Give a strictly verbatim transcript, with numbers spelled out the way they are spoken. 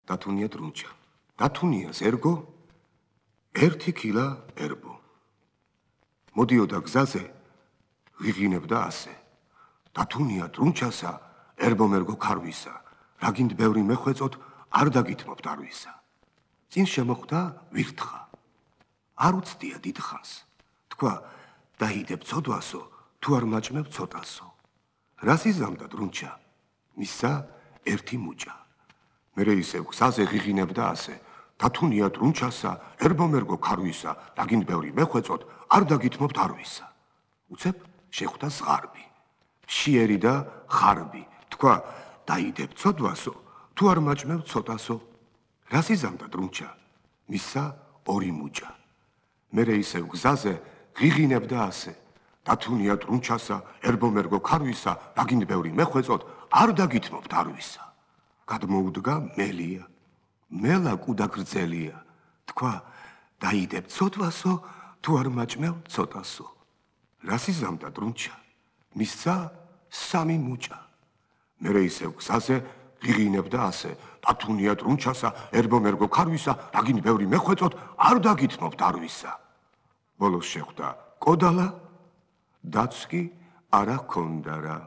დათუნია დრუნჩა. დათუნიას ერგო ერთი ქილა ერბო. მოდიოდა გზაზე, ღიღინებდა ასე. დათუნია დრუნჩასა, ერბომერგო ქარვისა, რაგინდ ბევრი მეხვეწოთ, არ დაგითმობთ არვისა. წინ შემოხვდა ვირთხა. არ უცდია დიდხანს. თქვა, დაიდებ ცოდვასო, თუ არ მაჭმევ ცოტასო. რას იზამდა დრუნჩა? მისცა ერთი მუჭა. მერე ისევ გზაზე ღიღინებდა ასე. დათუნია დრუნჩასა, ერბომერგო ქარვისა, რაგინდ ბევრი მეხვეწოთ, არ დაგითმობთ არვისა. უცებ შეხვდა ზღარბი. მშიერი და ხარბი. თქვა, დაიდებ ცოდვასო, თუ არ მაჭმევ ცოტასო. რას იზამდა დრუნჩა? მისცა ორი მუჭა. მერე ისევ გზაზე ღიღინებდა ასე. დათუნია დრუნჩასა, ერბომერგო ქარვისა, რაგინდ ბევრი მეხვეწოთ, არ დაგითმობთ არვისა. გადმოუდგა მელია. მელა კუდა გრძელია. თქვა, დაიდებ ცოდვასო, თუ არ მაჭმევ ცოტასო. რას იზამდა დრუნჩა? მისცა სამი მუჭა. მერე ისევ გზაზე ღიღინებდა ასე. დათუნია დრუნჩასა, ერბომერგო ქარვისა, რაგინდ ბევრი მეხვეწოთ, არ დაგითმობთ არვისა. ბოლოს შეხვდა კოდალა, დაც კი არა ჰქონდა რა.